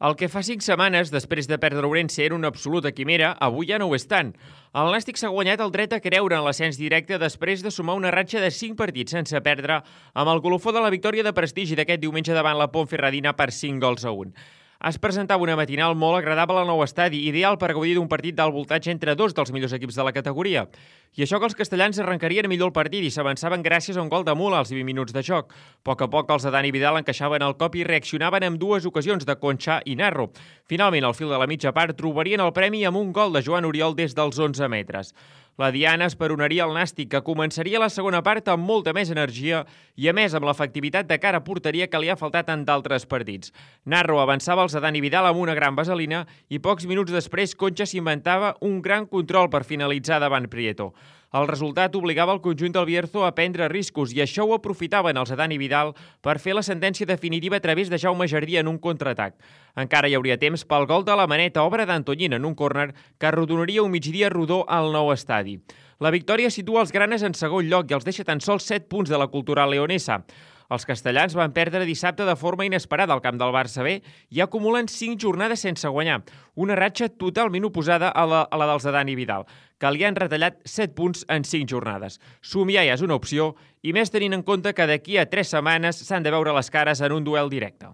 El que fa 5 setmanes, després de perdre Ourense, era una absoluta quimera, avui ja no ho és tant. El Nàstic s'ha guanyat el dret a creure en l'ascens directe després de sumar una ratxa de 5 partits sense perdre amb el colofó de la victòria de prestigi d'aquest diumenge davant la Ponferradina per 5-1. Es presentava una matinal molt agradable al nou estadi, ideal per gaudir d'un partit d'alt voltatge entre dos dels millors equips de la categoria. I això que els castellans arrencarien millor el partit i s'avançaven gràcies a un gol de Mula als 20 minuts de joc. A poc els de Dani Vidal encaixaven el cop i reaccionaven amb dues ocasions de Concha i Narro. Finalment, al fil de la mitja part, trobarien el premi amb un gol de Joan Oriol des dels 11 metres. La diana esperonaria el Nàstic, que començaria la segona part amb molta més energia i, a més, amb l'efectivitat de cara a porteria que li ha faltat en d'altres partits. Narro avançava els de Dani Vidal amb una gran vaselina i pocs minuts després Concha s'inventava un gran control per finalitzar davant Prieto. El resultat obligava el conjunt del Bierzo a prendre riscos i això ho aprofitaven els de Dani Vidal per fer la sentència definitiva a través de Jaume Jardí en un contraatac. Encara hi hauria temps pel gol de la Maneta, obra d'Antoñín en un córner que arrodonaria un migdia rodó al nou estadi. La victòria situa els granes en segon lloc i els deixa tan sols 7 punts de la cultural leonesa. Els castellans van perdre dissabte de forma inesperada al camp del Barça B i acumulen 5 jornades sense guanyar, una ratxa totalment oposada a la dels de Dani Vidal, que li han retallat 7 punts en 5 jornades. Somiar ja és una opció, i més tenint en compte que d'aquí a 3 setmanes s'han de veure les cares en un duel directe.